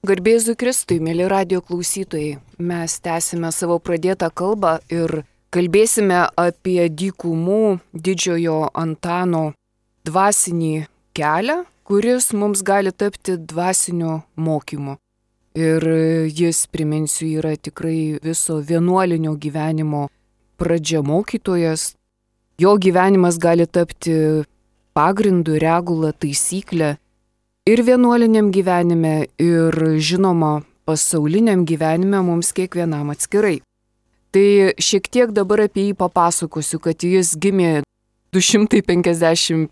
Garbėzu Kristui, mėly radio klausytojai, mes tęsime savo pradėtą kalbą ir kalbėsime apie dykumų didžiojo Antano dvasinį kelią, kuris mums gali tapti dvasiniu mokymu. Ir jis, priminsiu, yra tikrai viso vienuolinio gyvenimo pradžia mokytojas. Jo gyvenimas gali tapti pagrindu, regula, taisyklė. Ir vienuoliniam gyvenime, ir žinoma, pasauliniam gyvenime mums kiekvienam atskirai. Tai šiek tiek dabar apie jį papasakosiu, kad jis gimė 251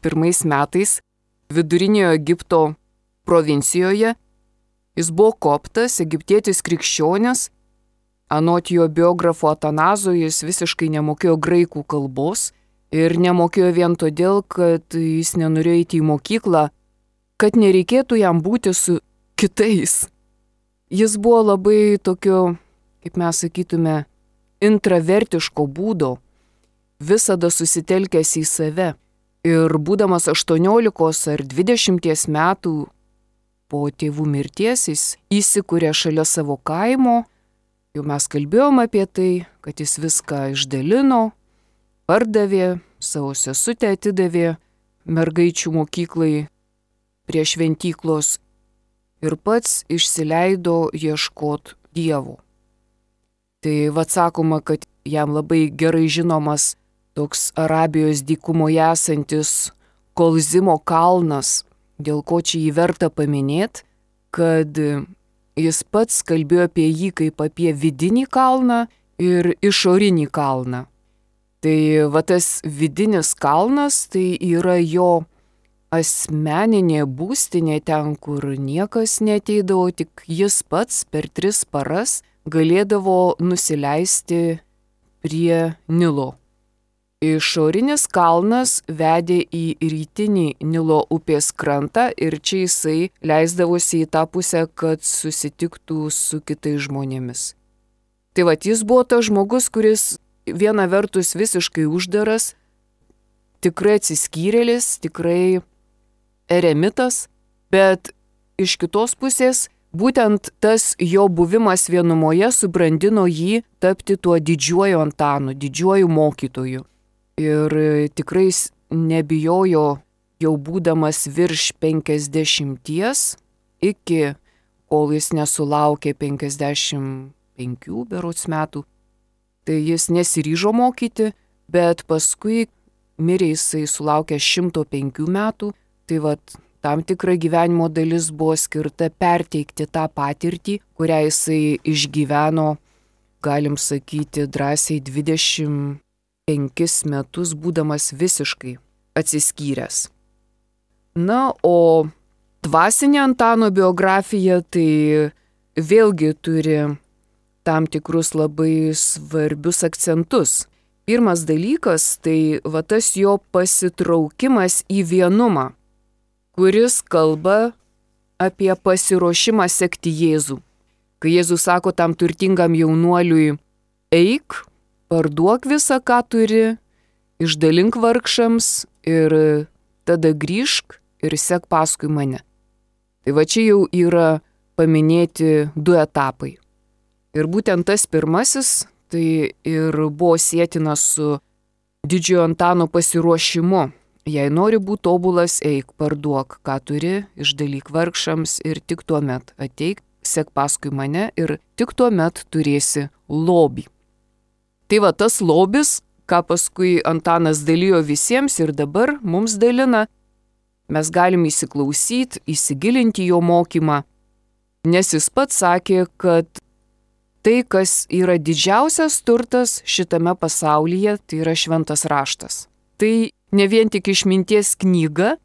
metais viduriniojo Egipto provincijoje. Jis buvo koptas, egiptietis krikščionis. Anot jo biografo Atanazo jis visiškai nemokėjo graikų kalbos ir nemokėjo vien todėl, kad jis nenorėjo eiti į mokyklą, kad nereikėtų jam būti su kitais. Jis buvo labai tokio, kaip mes sakytume, intravertiško būdo, visada susitelkęs į save. Ir būdamas 18 ar 20 metų po tėvų mirties jis įsikūrė šalia savo kaimo. Jau mes kalbėjom apie tai, kad jis viską išdalino, pardavė, savo sesutę atidavė mergaičių mokyklai prie šventyklos ir pats išsileido ieškot Dievo. Tai sakoma, kad jam labai gerai žinomas toks Arabijos dykumoje esantis Kolzimo kalnas, dėl ko čia jį verta paminėti, kad jis pats kalbėjo apie jį kaip apie vidinį kalną ir išorinį kalną. Tai tas vidinis kalnas tai yra jo asmeninė būstinė ten, kur niekas neateidavo, tik jis pats per 3 paras galėdavo nusileisti prie Nilo. Išorinis kalnas vedė į rytinį Nilo upės krantą ir čia jisai leisdavosi į tą pusę, kad susitiktų su kitais žmonėmis. Tai jis buvo tas žmogus, kuris viena vertus visiškai uždaras, tikrai atsiskyrėlis, tikrai eremitas, bet iš kitos pusės būtent tas jo buvimas vienumoje subrandino jį tapti tuo didžiuoju Antanu, didžiuoju mokytoju. Ir tikrai nebijojo jau būdamas virš 50 iki kol jis nesulaukė 55 berods metų. Tai jis nesiryžo mokyti, bet paskui mirė jisai sulaukė 105 metų. Tai tam tikra gyvenimo dalis buvo skirta perteikti tą patirtį, kurią jisai išgyveno, galim sakyti, drąsiai 25 metus būdamas visiškai atsiskyręs. Na, o dvasinė Antano biografija tai vėlgi turi tam tikrus labai svarbius akcentus. Pirmas dalykas tai tas jo pasitraukimas į vienumą, kuris kalba apie pasiruošimą sekti Jėzų. Kai Jėzus sako tam turtingam jaunuoliui, eik, parduok visą, ką turi, išdalink vargšams ir tada grįžk ir sek paskui mane. Tai čia jau yra paminėti 2 etapai. Ir būtent tas pirmasis tai ir buvo sėtinas su didžiojo Antano pasiruošimu. Jei nori būti tobulas, eik, parduok, ką turi, išdalyk vargšams ir tik tuomet ateik, sek paskui mane ir tik tuomet turėsi lobį. Tai tas lobis, ką paskui Antanas dalijo visiems ir dabar mums dalina, mes galim įsiklausyti, įsigilinti jo mokymą, nes jis pats sakė, kad tai, kas yra didžiausias turtas šitame pasaulyje, tai yra šventas raštas. Tai ne vien tik išminties knyga,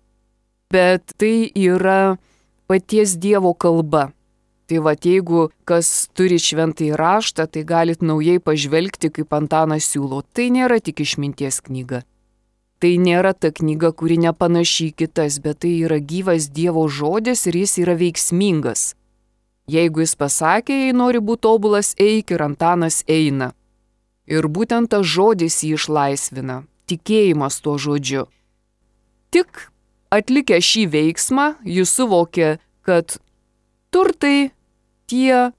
bet tai yra paties Dievo kalba. Tai jeigu kas turi šventąjį raštą, tai galit naujai pažvelgti, kaip Antanas siūlo. Tai nėra tik išminties knyga. Tai nėra ta knyga, kuri nepanaši į kitas, bet tai yra gyvas Dievo žodis ir jis yra veiksmingas. Jeigu jis pasakė, jei nori būti tobulas, eik, ir Antanas eina. Ir būtent tas žodis jį išlaisvina, tikėjimas tuo žodžiu. Tik atlikę šį veiksmą, jis suvokė, kad turtai tie,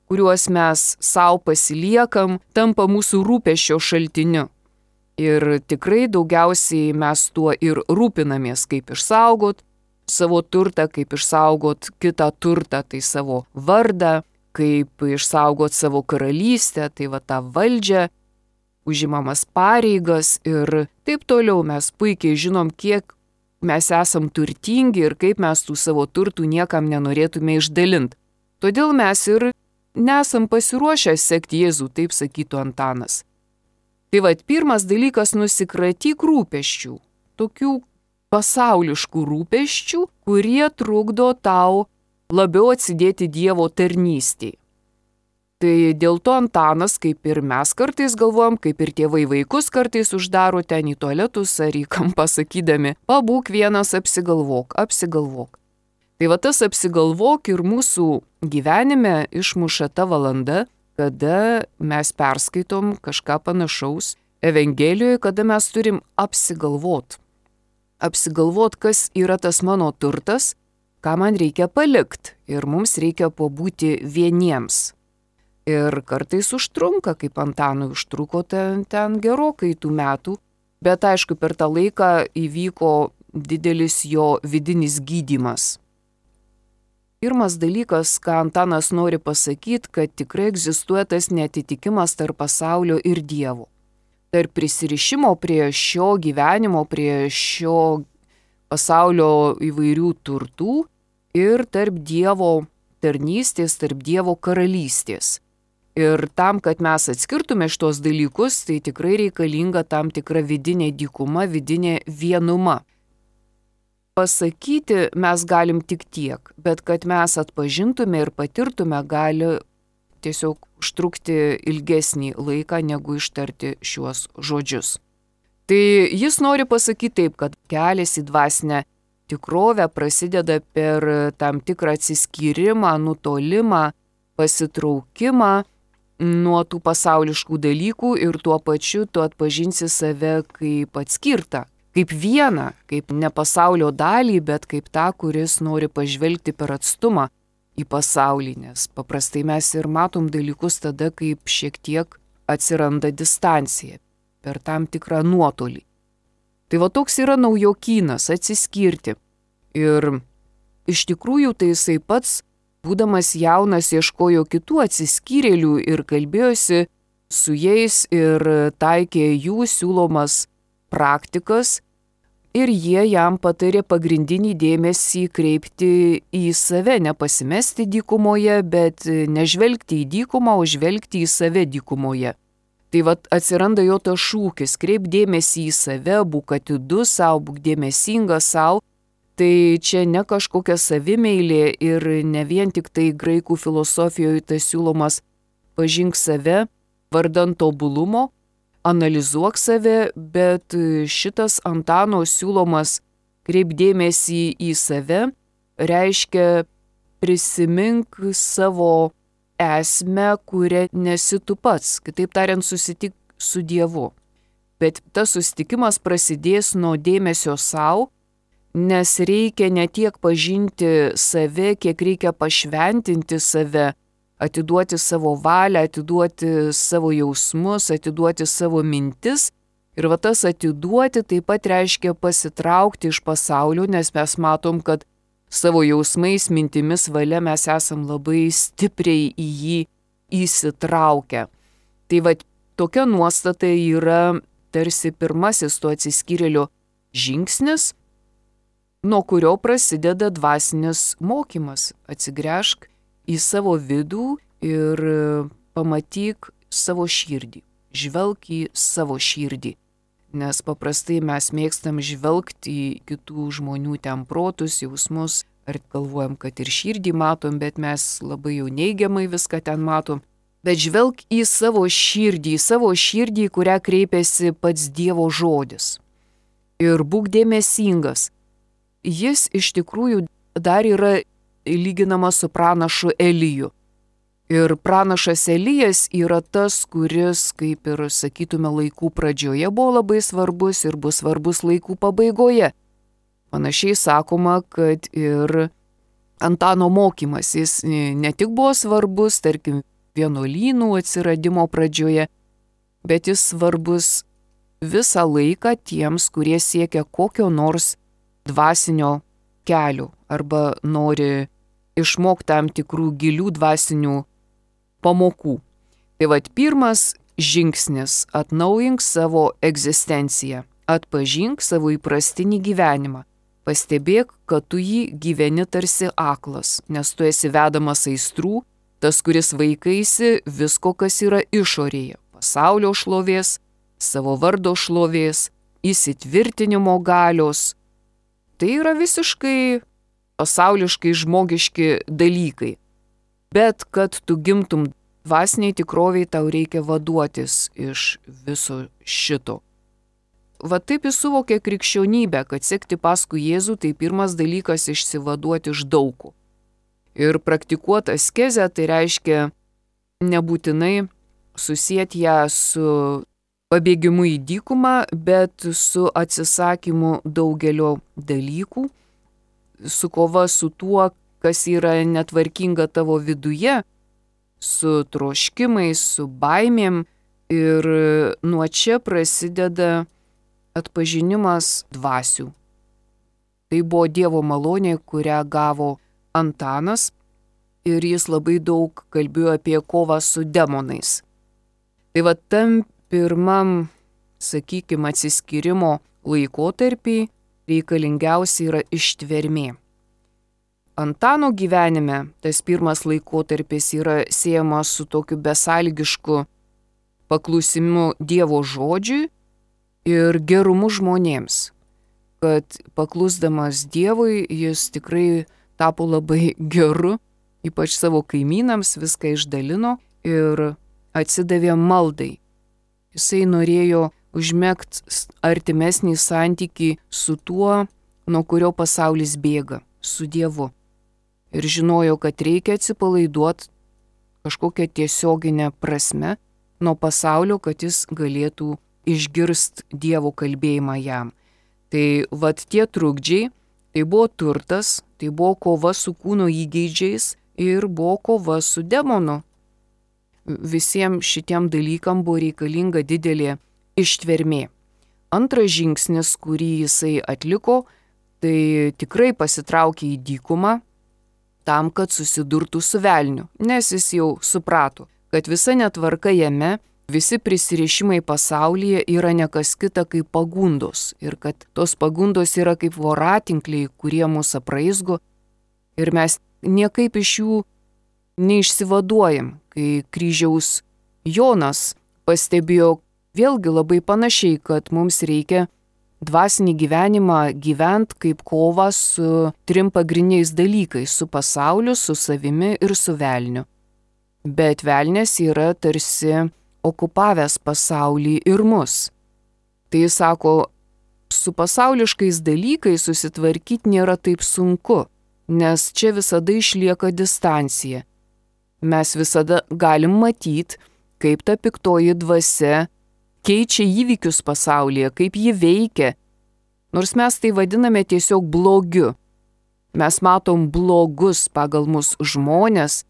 kuriuos mes savo pasiliekam, tampa mūsų rūpesčio šaltiniu. Ir tikrai daugiausiai mes tuo ir rūpinamės, kaip išsaugot savo turtą, kaip išsaugot kitą turtą, tai savo vardą, kaip išsaugot savo karalystę, tai va tą valdžią, užimamas pareigas ir taip toliau. Mes puikiai žinom, kiek mes esam turtingi ir kaip mes tų savo turtų niekam nenorėtume išdalinti. Todėl mes ir nesam pasiruošę sekti Jėzų, taip sakytų Antanas. Tai va, pirmas dalykas - nusikratyk rūpesčių, tokių pasauliškų rūpesčių, kurie trukdo tau labiau atsidėti Dievo tarnystėje. Tai dėl to Antanas, kaip ir mes kartais galvojam, kaip ir tėvai vaikus kartais uždaro ten į tualetus ar į kampą sakydami, pabūk vienas, apsigalvok. Tai va tas apsigalvok ir mūsų gyvenime išmuša ta valanda, kada mes perskaitom kažką panašaus Evangelijoje, kada mes turim apsigalvot. Apsigalvot, kas yra tas mano turtas, ką man reikia palikti ir mums reikia pabūti vieniems. Ir kartais užtrunka, kaip Antanui užtruko ten gerokai tų metų, bet aišku, per tą laiką įvyko didelis jo vidinis gydymas. Pirmas dalykas, ką Antanas nori pasakyti, kad tikrai egzistuoja tas neatitikimas tarp pasaulio ir Dievo. Tarp prisirišimo prie šio gyvenimo, prie šio pasaulio įvairių turtų ir tarp Dievo tarnystės, tarp Dievo karalystės. Ir tam, kad mes atskirtume šitos dalykus, tai tikrai reikalinga tam tikra vidinė dykuma, vidinė vienuma. Pasakyti mes galim tik tiek, bet kad mes atpažintume ir patirtume, gali tiesiog užtrukti ilgesnį laiką, negu ištarti šiuos žodžius. Tai jis nori pasakyti taip, kad kelias į dvasinę tikrovę prasideda per tam tikrą atsiskyrimą, nutolimą, pasitraukimą nuo tų pasauliškų dalykų ir tuo pačiu tu atpažinsi save kaip atskirtą, kaip vieną, kaip ne pasaulio dalį, bet kaip tą, kuris nori pažvelgti per atstumą į pasaulį, nes paprastai mes ir matom dalykus tada, kaip šiek tiek atsiranda distancija, per tam tikrą nuotolį. Tai va toks yra naujokynas - atsiskirti. Ir iš tikrųjų tai jisai pats, būdamas jaunas, ieškojo kitų atsiskyrėlių ir kalbėjosi su jais ir taikė jų siūlomas praktikas ir jie jam patarė pagrindinį dėmesį kreipti į save, nepasimesti dykumoje, bet nežvelgti į dykumą, o žvelgti į save dykumoje. Tai vat atsiranda jo tas šūkis, kreip dėmesį į save, būk atidus savo, būk dėmesingas savo. Tai čia ne kažkokia savimeilė ir ne vien tik tai graikų filosofijoje tas siūlomas pažink save, vardan tobulumo, analizuok save, bet šitas Antano siūlomas kreip dėmesį į save reiškia prisimink savo esmę, kuria nesi tu pats, kitaip tariant, susitik su Dievu. Bet tas susitikimas prasidės nuo dėmesio savo, nes reikia ne tiek pažinti save, kiek reikia pašventinti save, atiduoti savo valią, atiduoti savo jausmus, atiduoti savo mintis. Ir va tas atiduoti taip pat reiškia pasitraukti iš pasaulio, nes mes matom, kad savo jausmais, mintimis, valia mes esam labai stipriai į jį įsitraukę. Tai va tokia nuostata yra tarsi pirmasis to atsiskyrėlio žingsnis, nuo kurio prasideda dvasinis mokymas. Atsigręžk į savo vidų ir pamatyk savo širdį. Žvelk į savo širdį. Nes paprastai mes mėgstam žvelgti į kitų žmonių ten protus, jausmus, ar galvojam, kad ir širdį matom, bet mes labai jau neigiamai viską ten matom. Bet žvelk į savo širdį, kurią kreipiasi pats Dievo žodis. Ir būk dėmesingas. Jis iš tikrųjų dar yra lyginamas su pranašu Eliju. Ir pranašas Elijas yra tas, kuris, kaip ir sakytume, laikų pradžioje buvo labai svarbus ir bus svarbus laikų pabaigoje. Panašiai sakoma, kad ir Antano mokymas, jis ne tik buvo svarbus, tarkim, vienuolynų atsiradimo pradžioje, bet jis svarbus visą laiką tiems, kurie siekia kokio nors dvasinio kelio arba nori išmokti tam tikrų gilių dvasinių pamokų. Tai vat pirmas žingsnis – atnaujink savo egzistenciją, atpažink savo įprastinį gyvenimą. Pastebėk, kad tu jį gyveni tarsi aklas, nes tu esi vedamas aistrų, tas, kuris vaikaisi visko, kas yra išorėje – pasaulio šlovės, savo vardo šlovės, įsitvirtinimo galios. Tai yra visiškai pasauliškai žmogiški dalykai. Bet kad tu gimtum dvasiniai tikroviai, tau reikia vaduotis iš viso šito. Va taip jis suvokė krikščionybę, kad sekti paskui Jėzų tai pirmas dalykas išsivaduoti iš daugų. Ir praktikuoti askezę tai reiškia nebūtinai susieti ją su pabėgimu į dykumą, bet su atsisakymu daugelio dalykų, su kova su tuo, kas yra netvarkinga tavo viduje, su troškimais, su baimėm. Ir nuo čia prasideda atpažinimas dvasių. Tai buvo Dievo malonė, kurią gavo Antanas, ir jis labai daug kalbėjo apie kovą su demonais. Tai va tam pirmam, sakykime, atsiskyrimo laikotarpį reikalingiausia yra ištvermė. Antano gyvenime tas pirmas laikotarpis yra siejamas su tokiu besąlygišku paklusimu Dievo žodžiui ir gerumu žmonėms, kad paklusdamas Dievui jis tikrai tapo labai geru, ypač savo kaimynams viską išdalino ir atsidavė maldai. Jisai norėjo užmegti artimesnį santykį su tuo, nuo kurio pasaulis bėga, su Dievu. Ir žinojo, kad reikia atsipalaiduoti kažkokią tiesioginę prasme nuo pasaulio, kad jis galėtų išgirst Dievo kalbėjimą jam. Tai vat tie trukdžiai, tai buvo turtas, tai buvo kova su kūno įgeidžiais ir buvo kova su demonu. Visiems šitiem dalykam buvo reikalinga didelė ištvermė. Antras žingsnis, kurį jisai atliko, tai tikrai pasitraukė į dykumą tam, kad susidurtų su velniu, nes jis jau suprato, kad visa netvarka jame, visi prisirišimai pasaulyje yra ne kas kita kaip pagundos ir kad tos pagundos yra kaip voratinkliai, kurie mus apraizgo ir mes niekaip iš jų neišsivaduojam. Kai kryžiaus Jonas pastebėjo vėlgi labai panašiai, kad mums reikia dvasinį gyvenimą gyventi kaip kovą su trim pagrindiniais dalykais – su pasauliu, su savimi ir su velniu. Bet velnės yra tarsi okupavęs pasaulį ir mus. Tai jis sako, su pasauliškais dalykais susitvarkyti nėra taip sunku, nes čia visada išlieka distancija. Mes visada galim matyti, kaip ta piktoji dvasia keičia įvykius pasaulyje, kaip ji veikia. Nors mes tai vadiname tiesiog blogiu. Mes matom blogus pagal mus žmonės,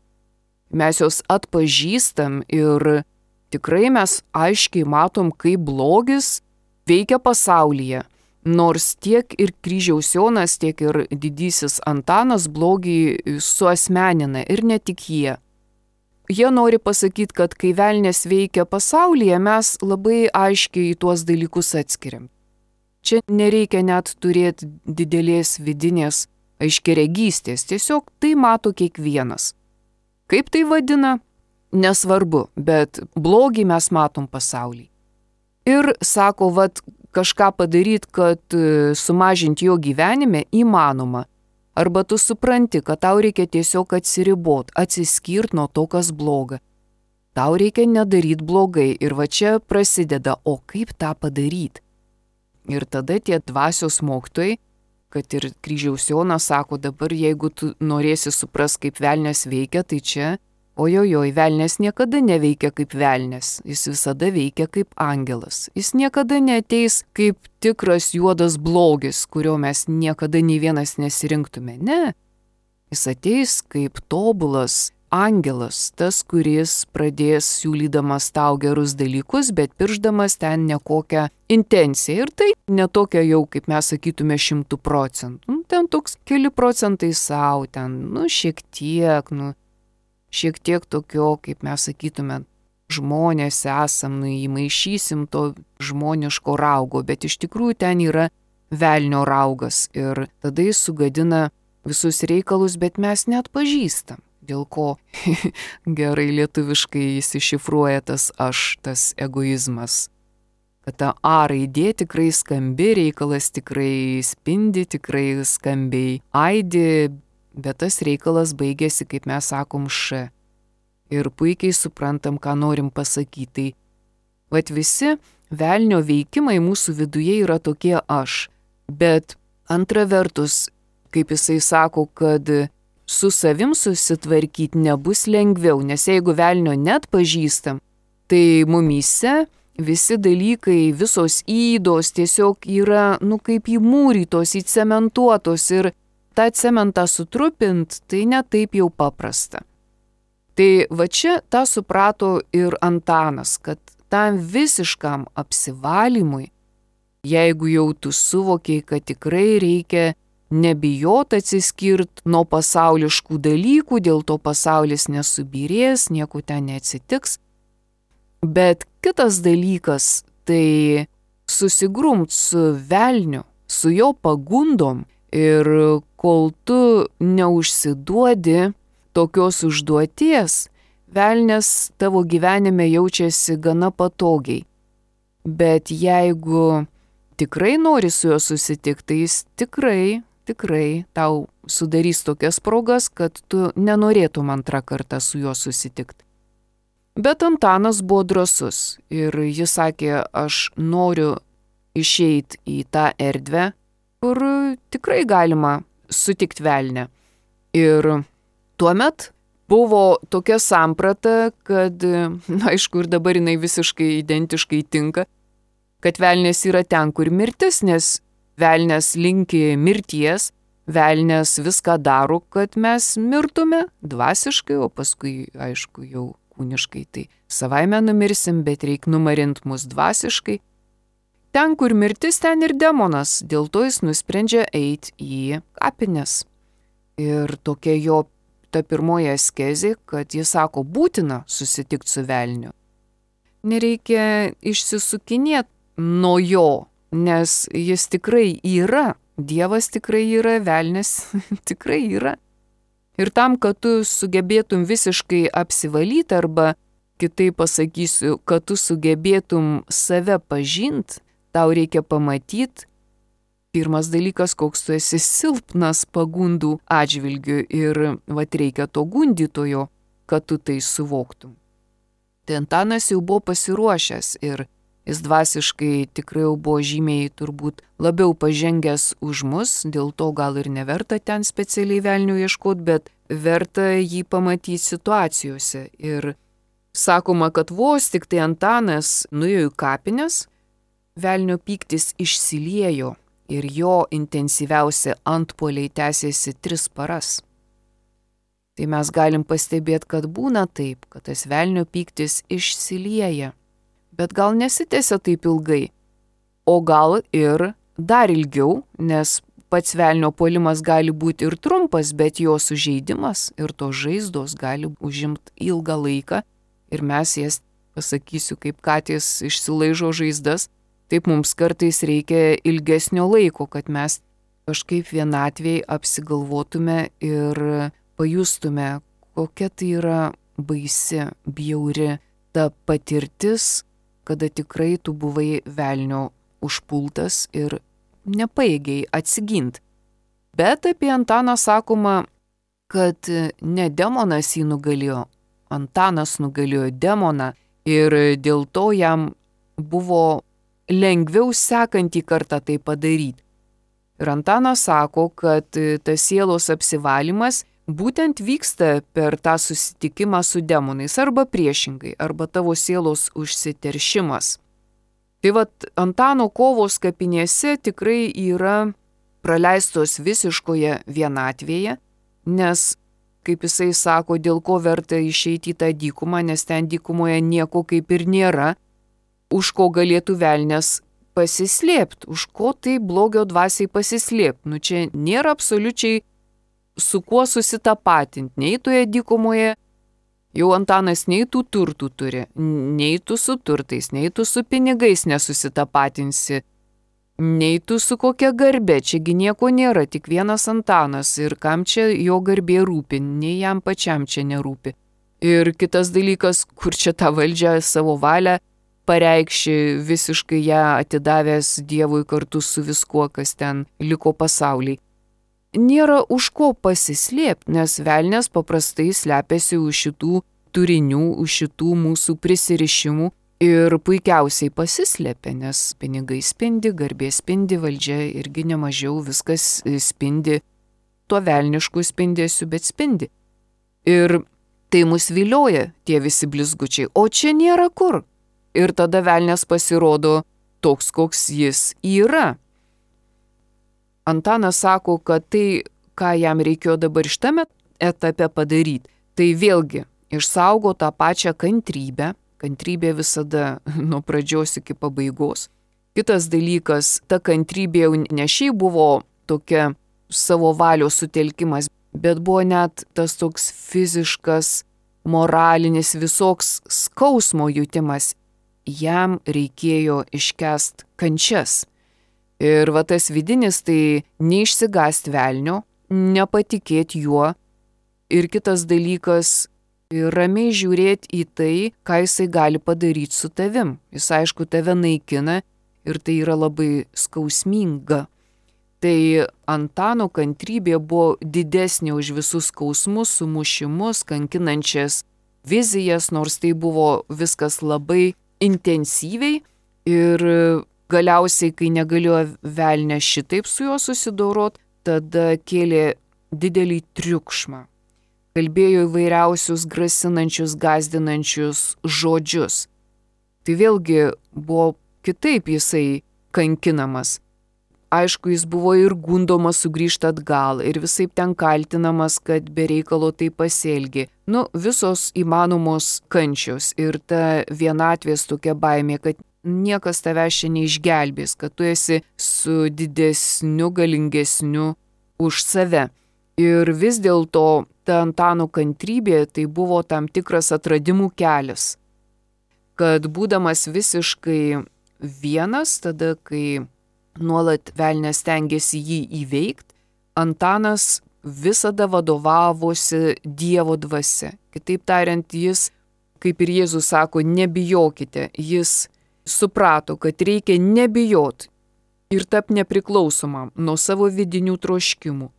mes jos atpažįstam ir tikrai mes aiškiai matom, kaip blogis veikia pasaulyje. Nors tiek ir kryžiaus Jonas, tiek ir didysis Antanas blogį suasmenina ir ne tik jie. Jie nori pasakyti, kad kai velnės veikia pasaulyje, mes labai aiškiai į tuos dalykus atskiriam. Čia nereikia net turėti didelės vidinės aiškiaregystės, tiesiog tai mato kiekvienas. Kaip tai vadina? Nesvarbu, bet blogį mes matom pasaulį. Ir sako, vat kažką padaryti, kad sumažinti jo gyvenime įmanoma. Arba tu supranti, kad tau reikia tiesiog atsiribot, atsiskirt nuo to, kas bloga. Tau reikia nedaryti blogai ir va čia prasideda, o kaip tą padaryti? Ir tada tie dvasios mokytojai, kad ir kryžiaus Jonas sako, dabar jeigu tu norėsi supras, kaip velnės veikia, tai čia, ojojoj, velnės niekada neveikia kaip velnės, jis visada veikia kaip angelas. Jis niekada neateis kaip tikras juodas blogis, kurio mes niekada nei vienas nesirinktume. Ne. Jis ateis kaip tobulas angelas, tas, kuris pradės siūlydamas tau gerus dalykus, bet piršdamas ten nekokią intenciją. Ir tai netokia jau, kaip mes sakytume, 100%. Ten toks keli procentai savo, ten, šiek tiek tokio, kaip mes sakytume, žmonės esam, įmaišysim to žmoniško raugo, bet iš tikrųjų ten yra velnio raugas ir tada jis sugadina visus reikalus, bet mes net pažįstam. Dėl ko gerai lietuviškai įsišifruoja tas aš, tas egoizmas. Kad ta A raidė tikrai skambi, reikalas tikrai spindi, tikrai skambiai aidi, bet tas reikalas baigėsi, kaip mes sakom, Š. Ir puikiai suprantam, ką norim pasakyti. Vat visi velnio veikimai mūsų viduje yra tokie aš. Bet antra vertus, kaip jisai sako, kad su savim susitvarkyti nebus lengviau, nes jeigu velnio net pažįstam, tai mumyse visi dalykai, visos ydos tiesiog yra, kaip įmūrytos, įcementuotos ir tą cementą sutrupint, tai ne taip jau paprasta. Tai va čia tą suprato ir Antanas, kad tam visiškam apsivalymui, jeigu jau tu suvokiai, kad tikrai reikia nebijot atsiskirt nuo pasauliškų dalykų, dėl to pasaulis nesubyrės, nieko ten neatsitiks. Bet kitas dalykas, tai susigrumt su velniu, su jo pagundom ir kol tu neužsiduodi tokios užduoties, velnias tavo gyvenime jaučiasi gana patogiai. Bet jeigu tikrai nori su juo susitikti, tai jis tikrai tau sudarys tokias progas, kad tu nenorėtum antrą kartą su juo susitikti. Bet Antanas buvo drąsus ir jis sakė, aš noriu išeiti į tą erdvę, kur tikrai galima sutikti velnę. Ir tuomet buvo tokia samprata, kad, aišku, ir dabar jinai visiškai identiškai tinka, kad velnės yra ten, kur mirtis, nes velnės linki mirties, velnės viską daro, kad mes mirtume dvasiškai, o paskui, aišku, jau kūniškai, tai savaime numirsim, bet reik numarint mus dvasiškai. Ten, kur mirtis, ten ir demonas, dėl to jis nusprendžia eiti į kapines. Ir tokia jo ta pirmoji askezė, kad jis sako, būtina susitikti su velniu. Nereikia išsisukinėti nuo jo, nes jis tikrai yra, Dievas tikrai yra, velnias tikrai yra. Ir tam, kad tu sugebėtum visiškai apsivalyti, arba kitaip pasakysiu, kad tu sugebėtum save pažint, tau reikia pamatyti, pirmas dalykas, koks tu esi silpnas pagundų atžvilgiu ir reikia to gundytojo, kad tu tai suvoktum. Tai Antanas jau buvo pasiruošęs ir jis dvasiškai tikrai jau buvo žymiai turbūt labiau pažengęs už mus, dėl to gal ir neverta ten specialiai velnių ieškoti, bet verta jį pamatyti situacijose. Ir sakoma, kad vos tik tai Antanas nuėjo į kapines, velnio pyktis išsiliejo ir jo intensyviausi antpuoliai tęsėsi 3 paras. Tai mes galim pastebėti, kad būna taip, kad tas velnio pyktis išsilieja. Bet gal nesitęsia taip ilgai, o gal ir dar ilgiau, nes pats velnio puolimas gali būti ir trumpas, bet jo sužeidimas ir tos žaizdos gali užimti ilgą laiką ir mes jas, pasakysiu, kaip katės išsilaižo žaizdas, taip mums kartais reikia ilgesnio laiko, kad mes kažkaip vienatvėj apsigalvotume ir pajustume, kokia tai yra baisi, bjauri ta patirtis, kada tikrai tu buvai velnio užpultas ir nepajėgiai atsigint. Bet apie Antaną sakoma, kad ne demonas jį nugalėjo, Antanas nugalėjo demoną ir dėl to jam buvo lengviau sekantį kartą tai padaryti. Ir Antanas sako, kad tas sielos apsivalymas būtent vyksta per tą susitikimą su demonais arba priešingai, arba tavo sielos užsiteršimas. Tai Antano kovos kapinėse tikrai yra praleistos visiškoje vienatvėje, nes, kaip jisai sako, dėl ko verta išeiti į tą dykumą, nes ten dykumoje nieko kaip ir nėra, už ko galėtų velnias pasislėpti, už ko tai blogio dvasiai pasislėpti. Čia nėra absoliučiai su kuo susitapatinti, nei toje dykumoje. Jau Antanas nei tų turtų turi, nei tu su turtais, nei tu su pinigais nesusitapatinsi, nei tu su kokia garbė, čiagi nieko nėra, tik vienas Antanas ir kam čia jo garbė rūpi, nei jam pačiam čia nerūpi. Ir kitas dalykas, kur čia tą valdžią savo valią pareikši, visiškai ją atidavęs Dievui kartu su viskuo, kas ten liko pasaulyje. Nėra už ko pasislėpti, nes velnias paprastai slepiasi už šitų turinių, už šitų mūsų prisirišimų ir puikiausiai pasislėpia, nes pinigai spindi, garbė spindi, valdžia irgi nemažiau, viskas spindi, tuo velnišku spindėsiu, bet spindi. Ir tai mus vilioja tie visi blizgučiai, o čia nėra kur. Ir tada velnias pasirodo toks, koks jis yra. Antanas sako, kad tai, ką jam reikėjo dabar šitame etape padaryti, tai vėlgi išsaugo tą pačią kantrybę. Kantrybė visada nuo pradžios iki pabaigos. Kitas dalykas, ta kantrybė jau ne šiaip buvo tokia savo valios sutelkimas, bet buvo net tas toks fiziškas, moralinis, visoks skausmo jutimas. Jam reikėjo iškęst kančias. Ir va tas vidinis tai neišsigąst velnio, nepatikėti juo. Ir kitas dalykas, ramiai žiūrėti į tai, ką jisai gali padaryti su tavim. Jis aišku tave naikina ir tai yra labai skausminga. Tai Antano kantrybė buvo didesnė už visus skausmus, sumušimus, kankinančias vizijas, nors tai buvo viskas labai intensyviai ir galiausiai, kai negalėjo velnė šitaip su juo susidorot, tada kėlė didelį triukšmą. Kalbėjo įvairiausius grasinančius, gąsdinančius žodžius. Tai vėlgi buvo kitaip jisai kankinamas. Aišku, jis buvo ir gundomas sugrįžti atgal ir visaip ten kaltinamas, kad be reikalo tai pasielgė. Visos įmanomos kančios ir ta vienatvės tokia baimė, kad niekas tavęs čia neišgelbės, kad tu esi su didesniu, galingesniu už save. Ir vis dėlto ta Antano kantrybė tai buvo tam tikras atradimų kelias. Kad būdamas visiškai vienas, tada kai nuolat velnias stengiasi jį įveikti, Antanas visada vadovavosi Dievo dvasia. Kitaip tariant, jis, kaip ir Jėzus sako, nebijokite, jis suprato, kad reikia nebijot ir tapti nepriklausomam nuo savo vidinių troškimų,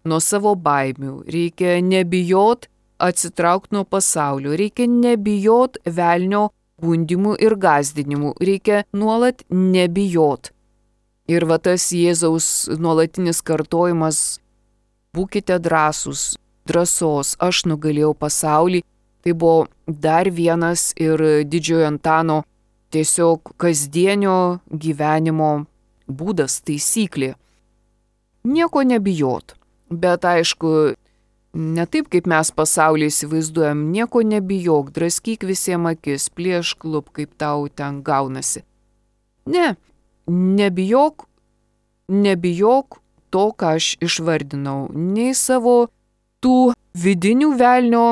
nuo savo baimių. Reikia nebijot atsitraukti nuo pasaulio, reikia nebijot velnio gundimų ir gąsdinimų, reikia nuolat nebijot. Ir va tas Jėzaus nuolatinis kartojimas, būkite drąsūs, drąsos, aš nugalėjau pasaulį, tai buvo dar vienas ir didžiojo Antano tiesiog kasdienio gyvenimo būdas, taisyklė. Nieko nebijot, bet aišku, ne taip, kaip mes pasaulyje įsivaizduojam, nieko nebijok, draskyk visiems akis, plėšk klub, kaip tau ten gaunasi. Ne, nebijok to, ką aš išvardinau, nei savo tų vidinių velnio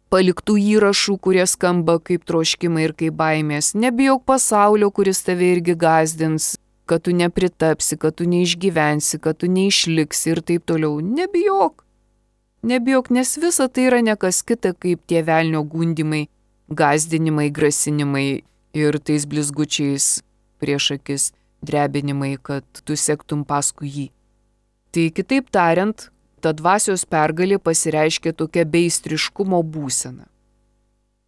paliktų įrašų, kurie skamba kaip troškimai ir kaip baimės. Nebijok pasaulio, kuris tave irgi gąsdins, kad tu nepritapsi, kad tu neišgyvensi, kad tu neišliksi ir taip toliau. Nebijok, nes visa tai yra nekas kita kaip tie velnio gundimai, gąsdinimai, grasinimai ir tais blizgučiais prieš akis drebinimai, kad tu sektum paskui jį. Tai kitaip tariant, ta dvasios pergalė pasireiškia tokia beistriškumo būsena.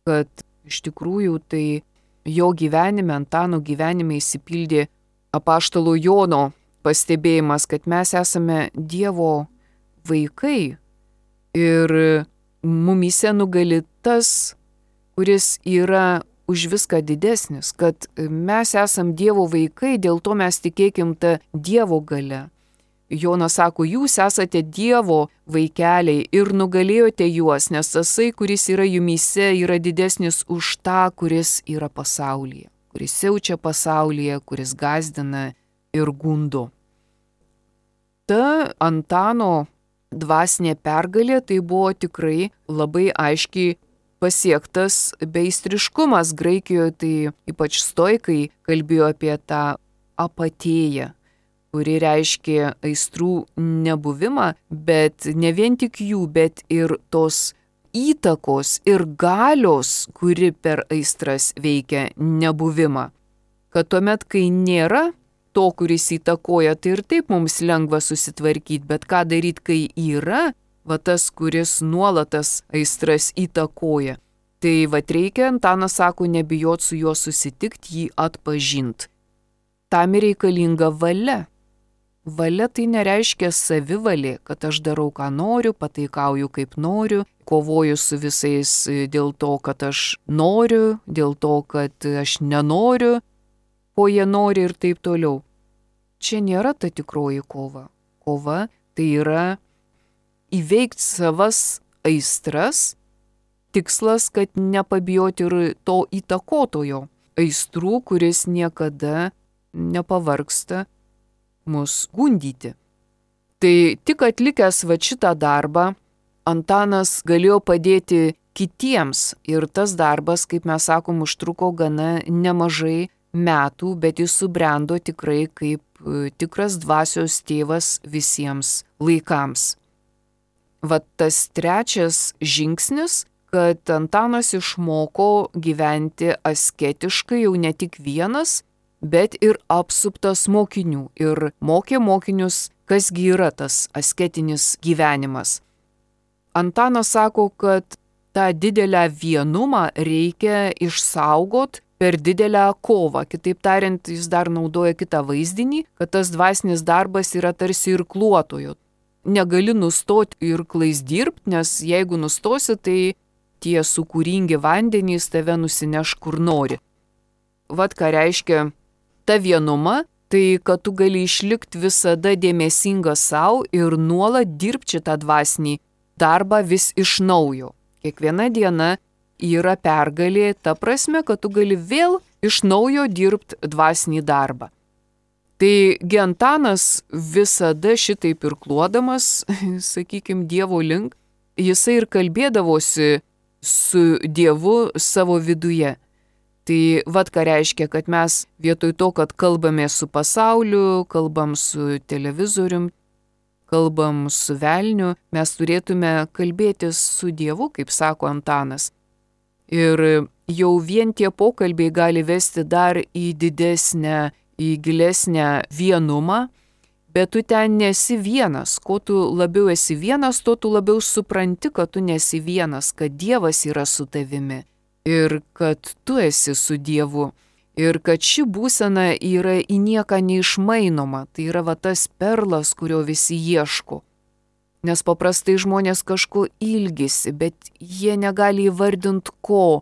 Kad iš tikrųjų tai jo gyvenime, Antano gyvenime įsipildė apaštalo Jono pastebėjimas, kad mes esame Dievo vaikai ir mumyse nugali tas, kuris yra už viską didesnis, kad mes esam Dievo vaikai, dėl to mes tikėkim tą Dievo galia. Jonas sako, jūs esate Dievo vaikeliai ir nugalėjote juos, nes tasai, kuris yra jumyse, yra didesnis už tą, kuris yra pasaulyje, kuris siaučia pasaulyje, kuris gąsdina ir gundo. Ta Antano dvasinė pergalė tai buvo tikrai labai aiškiai pasiektas beistriškumas. Graikijoje tai ypač stoikai kalbėjo apie tą apatėją, kuri reiškia aistrų nebuvimą, bet ne vien tik jų, bet ir tos įtakos ir galios, kuri per aistras veikia nebuvimą. Kad tuomet, kai nėra to, kuris įtakoja, tai ir taip mums lengva susitvarkyti, bet ką daryti, kai yra, va tas, kuris nuolatas aistras įtakoja. Tai va reikia, Antanas sako, nebijot su juo susitikti, jį atpažint. Tam reikalinga valia. Valia tai nereiškia savivalė, kad aš darau, ką noriu, pataikauju, kaip noriu, kovoju su visais dėl to, kad aš noriu, dėl to, kad aš nenoriu, ko jie nori ir taip toliau. Čia nėra ta tikroji kova. Kova tai yra įveikti savas aistras, tikslas, kad nepabijoti ir to įtakotojo aistrų, kuris niekada nepavargsta mus gundyti. Tai tik atlikęs va šitą darbą, Antanas galėjo padėti kitiems ir tas darbas, kaip mes sakom, užtruko gana nemažai metų, bet jis subrendo tikrai kaip tikras dvasios tėvas visiems laikams. Vat tas trečias žingsnis, kad Antanas išmoko gyventi asketiškai jau ne tik vienas, bet ir apsuptas mokinių ir mokė mokinius, kasgi yra tas asketinis gyvenimas. Antanas sako, kad tą didelę vienumą reikia išsaugot per didelę kovą. Kitaip tariant, jis dar naudoja kitą vaizdinį, kad tas dvasinis darbas yra tarsi irkluotojo. Negali nustoti irklais dirbti, nes jeigu nustosi, tai tie sūkuringi vandenys tave nusineš kur nori. Vat ką reiškia ta vienuma, tai kad tu gali išlikti visada dėmesingas savo ir nuolat dirbti šitą dvasinį darbą vis iš naujo. Kiekviena diena yra pergalė, ta prasme, kad tu gali vėl iš naujo dirbti dvasinį darbą. Tai Antanas visada šitaip irkluodamas, sakykime, Dievo link, jisai ir kalbėdavosi su Dievu savo viduje. Tai vat ką reiškia, kad mes vietoj to, kad kalbame su pasauliu, kalbam su televizorium, kalbam su velniu, mes turėtume kalbėtis su Dievu, kaip sako Antanas. Ir jau vien tie pokalbiai gali vesti dar į didesnę, į gilesnę vienumą, bet tu ten nesi vienas. Kuo tu labiau esi vienas, tuo tu labiau supranti, kad tu nesi vienas, kad Dievas yra su tavimi ir kad tu esi su Dievu. Ir kad ši būsena yra į nieką neišmainoma, tai yra va tas perlas, kurio visi ieško. Nes paprastai žmonės kažko ilgisi, bet jie negali įvardinti ko.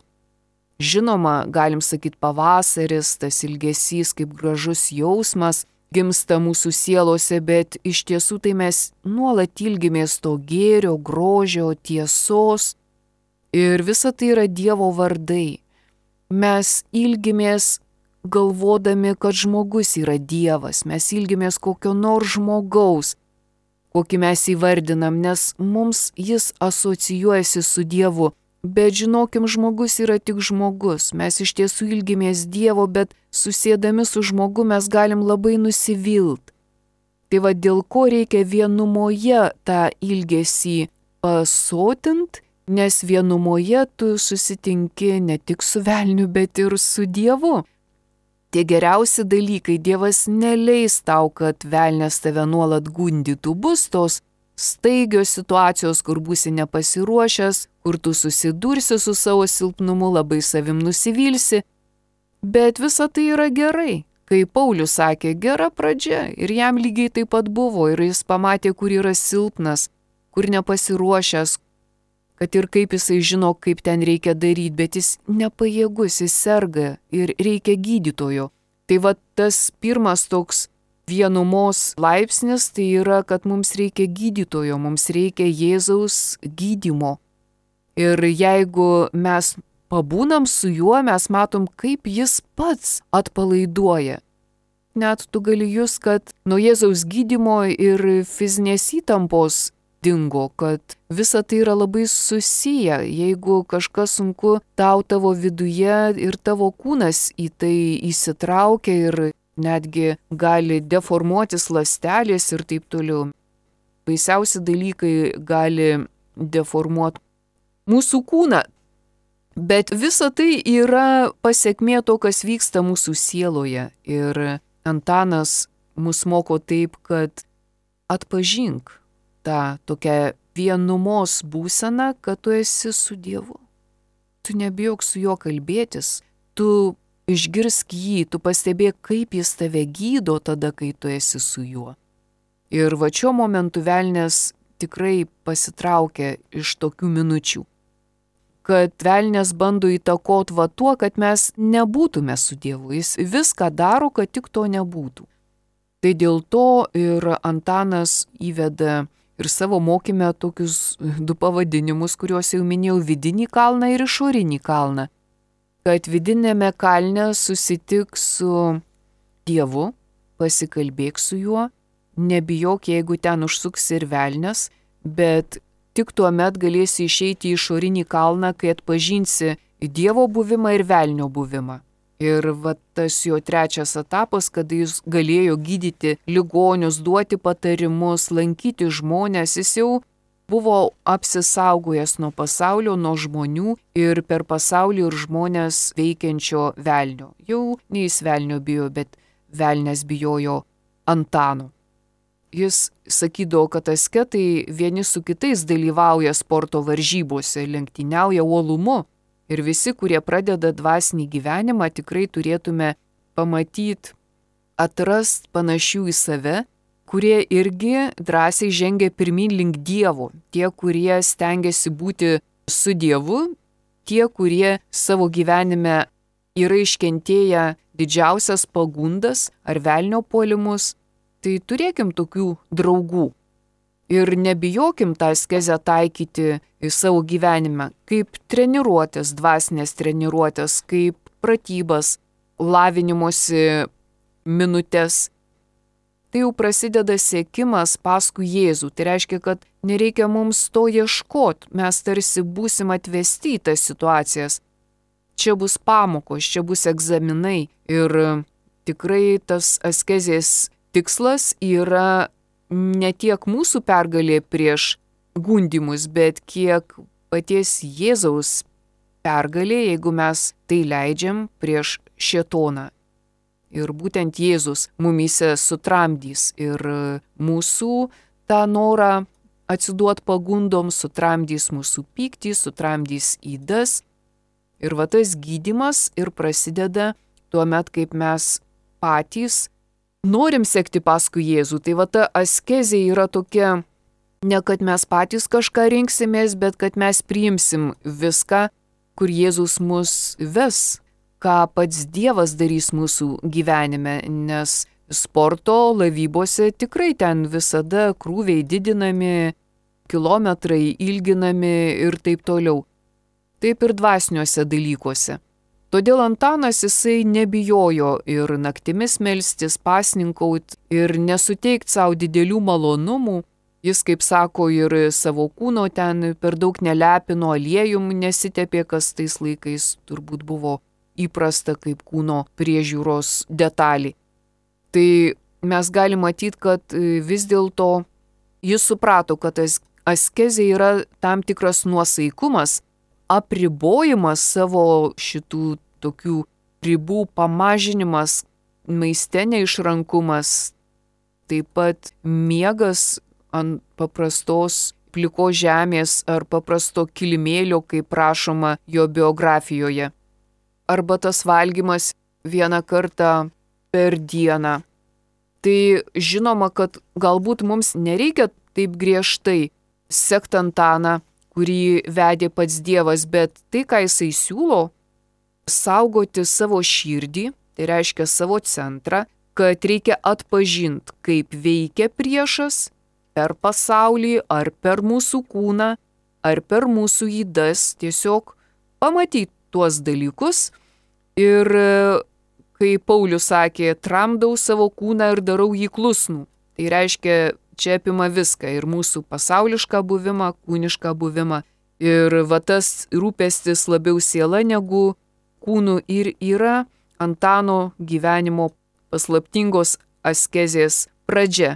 Žinoma, galim sakyti pavasaris, tas ilgesys kaip gražus jausmas gimsta mūsų sielose, bet iš tiesų tai mes nuolat ilgimės to gėrio, grožio, tiesos. Ir visa tai yra Dievo vardai. Mes ilgimės galvodami, kad žmogus yra Dievas, mes ilgimės kokio nors žmogaus, kokį mes įvardinam, nes mums jis asocijuojasi su Dievu, bet žinokim, žmogus yra tik žmogus, mes iš tiesų ilgimės Dievo, bet susėdami su žmogu mes galim labai nusivilt. Tai va dėl ko reikia vienumoje tą ilgesį pasotint, nes vienumoje tu susitinki ne tik su velniu, bet ir su Dievu. Tie geriausi dalykai, Dievas neleis tau, kad velnias tave nuolat gundytų. Bus tos staigios situacijos, kur būsi nepasiruošęs, kur tu susidursi su savo silpnumu, labai savim nusivilsi. Bet visa tai yra gerai. Kai Paulius sakė, gera pradžia, ir jam lygiai taip pat buvo, ir jis pamatė, kur yra silpnas, kur nepasiruošęs, kad ir kaip jisai žino, kaip ten reikia daryti, bet jis nepajėgus, jis serga ir reikia gydytojo. Tai va tas pirmas toks vienumos laipsnis tai yra, kad mums reikia gydytojo, mums reikia Jėzaus gydymo. Ir jeigu mes pabūnam su juo, mes matom, kaip jis pats atpalaiduoja. Net tu gali jūs, kad nuo Jėzaus gydymo ir fizinės įtampos dingo, kad visa tai yra labai susiję. Jeigu kažkas sunku tavo viduje ir tavo kūnas į tai įsitraukia ir netgi gali deformuotis ląstelės ir taip toliau. Baisiausi dalykai gali deformuoti mūsų kūną. Bet visa tai yra pasekmė to, kas vyksta mūsų sieloje. Ir Antanas mus moko taip, kad atpažink tą tokią vienumos būseną, kad tu esi su Dievu. Tu nebijok su juo kalbėtis, tu išgirsk jį, tu pastebėk, kaip jis tave gydo tada, kai tu esi su juo. Ir va šiuo momentu velnias tikrai pasitraukia iš tokių minučių, kad velnias bando įtakoti va tuo, kad mes nebūtume su Dievu. Jis viską daro, kad tik to nebūtų. Tai dėl to ir Antanas įveda ir savo mokyme tokius du pavadinimus, kuriuos jau minėjau, vidinį kalną ir išorinį kalną. Kad vidinėme kalne susitik su Dievu, pasikalbėk su juo, nebijok, jeigu ten užsuks ir velnias, bet tik tuomet galėsi išeiti į išorinį kalną, kai atpažinsi Dievo buvimą ir velnio buvimą. Ir va tas jo trečias etapas, kada jis galėjo gydyti ligonius, duoti patarimus, lankyti žmonės, jis jau buvo apsisaugojęs nuo pasaulio, nuo žmonių ir per pasaulį ir žmonės veikiančio velnio. Jau ne jis velnio bijo, bet velnias bijojo Antano. Jis sakydavo, kad asketai vieni su kitais dalyvauja sporto varžybose, lenktyniauja uolumu. Ir visi, kurie pradeda dvasinį gyvenimą, tikrai turėtume pamatyti, atrast panašių į save, kurie irgi drąsiai žengia pirmin link Dievo. Tie, kurie stengiasi būti su Dievu, tie, kurie savo gyvenime yra iškentėję didžiausias pagundas ar velnio puolimus, tai turėkim tokių draugų. Ir nebijokim tą askezę taikyti į savo gyvenimą, kaip treniruotės, dvasinės treniruotės, kaip pratybas, lavinimosi minutės. Tai jau prasideda siekimas paskui Jėzų. Tai reiškia, kad nereikia mums to ieškoti, mes tarsi būsim atvesti į tas situacijas. Čia bus pamokos, čia bus egzaminai ir tikrai tas askezės tikslas yra ne tiek mūsų pergalė prieš gundymus, bet kiek paties Jėzaus pergalė, jeigu mes tai leidžiam prieš šėtoną. Ir būtent Jėzus mumyse sutramdys ir mūsų tą norą atsiduot pagundom, sutramdys mūsų pyktį, sutramdys ydas. Ir va tas gydymas ir prasideda tuomet, kaip mes patys norim sekti paskui Jėzų. Tai va ta askezė yra tokia, ne kad mes patys kažką rinksimės, bet kad mes priimsim viską, kur Jėzus mus ves, ką pats Dievas darys mūsų gyvenime, nes sporto laivybose tikrai ten visada krūviai didinami, kilometrai ilginami ir taip toliau. Taip ir dvasiniuose dalykuose. Todėl Antanas jisai nebijojo ir naktimis melstis, pasninkaut ir nesuteikti savo didelių malonumų. Jis, kaip sako, ir savo kūno ten per daug nelepino, aliejum nesitepė, kas tais laikais turbūt buvo įprasta kaip kūno priežiūros detalė. Tai mes galime matyti, kad vis dėlto jis suprato, kad askezė yra tam tikras nuosaikumas, apribojimas savo šitų tokių ribų pamažinimas, maiste neišrankumas, taip pat miegas ant paprastos plikos žemės ar paprasto kilimėlio, kaip rašoma jo biografijoje. Arba tas valgymas vieną kartą per dieną. Tai žinoma, kad galbūt mums nereikia taip griežtai sekt Antaną, kurį vedė pats Dievas, bet tai, ką jisai siūlo, saugoti savo širdį, tai reiškia savo centrą, kad reikia atpažinti, kaip veikia priešas per pasaulį, ar per mūsų kūną, ar per mūsų ydas, tiesiog pamatyti tuos dalykus. Ir kai Paulius sakė, tramdau savo kūną ir darau jį klusnų, tai reiškia, čia apima viską, ir mūsų pasaulišką buvimą, kūnišką buvimą. Ir va tas rūpestis labiau siela negu kūnų ir yra Antano gyvenimo paslaptingos askezės pradžia.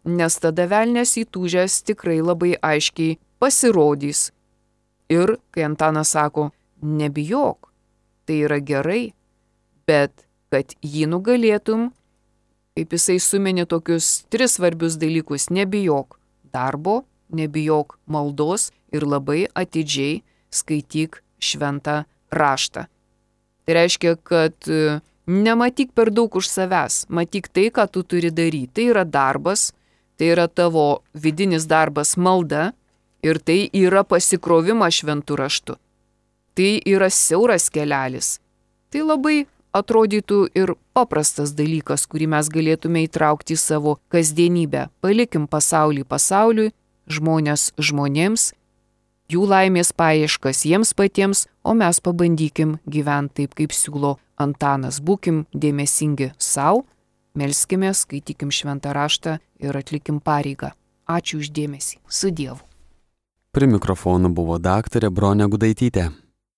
Nes tada velnias įtūžęs tikrai labai aiškiai pasirodys. Ir kai Antanas sako, nebijok, tai yra gerai, bet kad jį nugalėtum, kaip jisai suminė tokius 3 svarbius dalykus, nebijok darbo, nebijok maldos ir labai atidžiai skaityk šventą raštą. Tai reiškia, kad nematyk per daug už savęs, matyk tai, ką tu turi daryti. Tai yra darbas, tai yra tavo vidinis darbas malda ir tai yra pasikrovimas šventų raštu. Tai yra siauras kelelis. Tai labai atrodytų ir paprastas dalykas, kurį mes galėtume įtraukti į savo kasdienybę. Palikim pasaulį pasauliui, žmonės žmonėms, jų laimės paieškas jiems patiems, o mes pabandykim gyventi taip, kaip siūlo Antanas. Būkim dėmesingi savo, melskime, skaitykim šventą raštą ir atlikim pareigą. Ačiū už dėmesį. Su Dievu. Prie mikrofono buvo daktarė Bronė Gudaitytė.